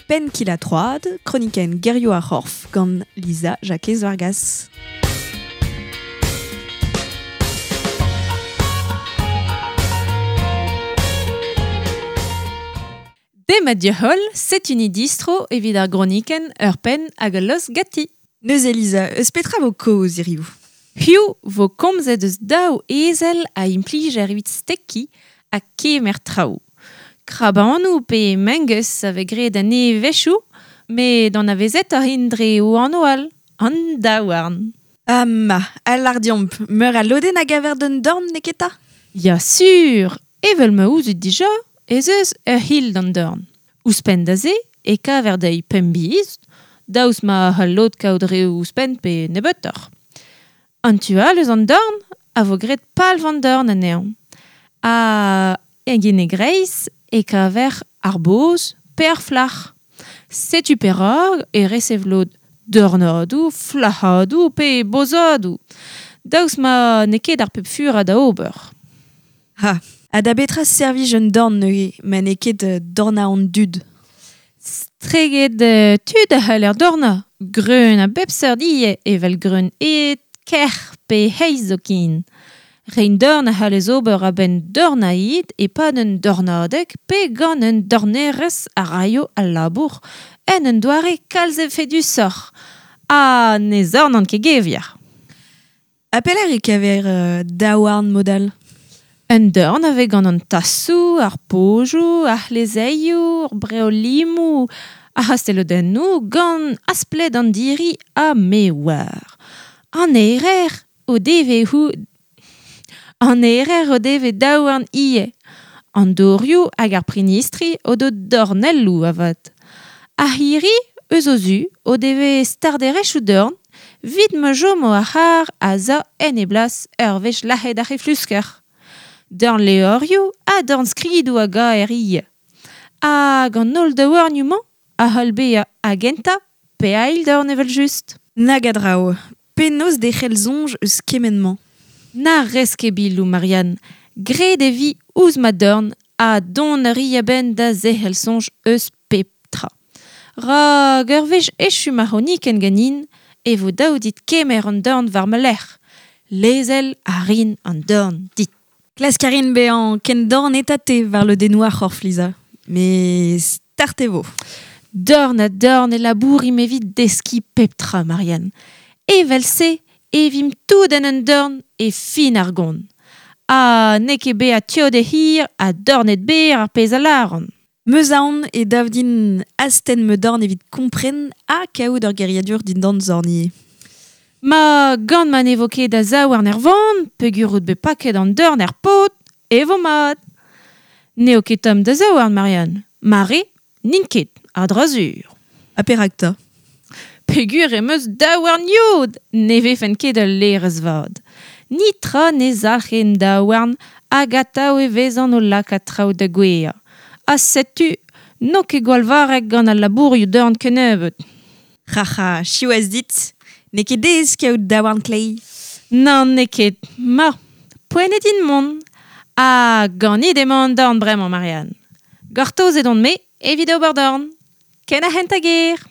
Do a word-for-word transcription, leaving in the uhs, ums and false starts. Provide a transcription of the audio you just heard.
Penn kil ha troad, kronikenn gerioù ar c'horf gant Lisa Jakez Vargas. Demat dioholl, setu ni distro evit ar gronikenn ur penn hag ul lost gati. Neuze Lisa, eus petra vo kaoz hiriv? Hiziv vo komzet eus daou ezel a implijer evit stekiñ ha kemer traoù. Krabanoù pe mengeuz a vez graet anezhe a-wechoù, met anavezetoc'h int dre o anv all, an daouarn. Ah ma, a lar deomp, meur a lodenn a gaver d'un dorn n'eo ket 'ta? Ya sur, evel ma ouzout dija, ez eus ur c'hil d'an dorn. Ouzhpenn da se, e kaver dezhi pemp biz, daoust ma c'hall lod kaout reoù ouzhpenn pe nebeutoc'h. An tu all eus an dorn a vo graet palv an dorn anezhañ. Ha en e greiz e kaver ar boz pe ar flac'h. Setu perak e resev lod dornadoù, flac'hadoù pe bozadoù. Daoust ma n'eo ket ar pep furañ da ober. Ha, ha da betra servij un dorn neuze, ma n'eo ket dornañ an dud? Estreget tud a c'haller dornañ, greun a bep seurt ivez, evel greun ed, kerc'h pe heiz zoken. Reiñ dorn a c'hallez ober a-benn dornañ ed e-pad un dornadeg pe gant un dornerez a raio al labour en un doare kalz efedusoc'h. Ha ne zornan ket gevier. Ha pelec'h e kaver euh, daouarn mod all? Un dorn a vez gant an tasoù, ar pojoù, ar c'hlezeioù, ar breolimoù, ar c'hastelodennoù gant aspled an diri ha me oar. An erer o deve hou... An erer o deve daouarn ivez. An dorioù hag ar prinistri o do dornelloù avat. Ar c'hirri, eus o zu, o deve starderezhioù dorn, evit ma chomo ar c'harr a za en e blas ur wech lac'het ar c'heflusker. Dorn levrioù ha dorn skridoù a gaer ivez. Hag an holl daouarnioù-mañ a c'hall bezañ a-gentañ pe a-eil dorn evel-just. Nag a draoù, penaos derc'hel soñj eus kement-mañ? Na rez ket biloù, Marianne. Graet e vi ouzh ma dorn ha dont a ri a-benn da zerc'hel soñj eus pep tra. Rak ur wech echu ma c'hronikenn ganin, e vo dav dit kemer an dorn war ma lerc'h. Lezel a rin an dorn dit. Klask a rin bezañ ken dorn eta te war lodennoù ar c'horf, Lisa. Met start e vo. Dorn ha dorn e labourimp evit deskiñ pep tra, Marianne. Evel-se e vimp tout en un dorn e fin ar gont. Ha n'eo ket bezañ teod e hir ha dornet berr ar pezh a lâran. Meus aon e dav din astenn ma dorn evit kompren ha kaout ur geriadur dindan zorn ivez. Ma gant ma ne vo ket da zaouarn er vann, peogwir out bet paket an dorn er pod, e vo mat. N'eo ket tomm da zaouarn, Marianne. Ma re, n'int ket, a-dra-sur. Ha perak 'ta? Peogwir em eus daouarn yod, ne vefen ket ul laerez vat. Netra ne zalc'h en daouarn hag atav e vezan o lakaat traoù da gouezhañ. Ha setu, n'eo ket gwall varrek gant al labourioù dorn kennebeut. C'ha c'ha, siwazh dit, n'eo ket aes kaout daouarn kleiz. Nann, n'eo ket. Ma, poent eo din mont. Ha ganit emañ an dorn bremañ, Marianne. Gortozet on-me evit ober dorn. Ken ar c'hentañ ger.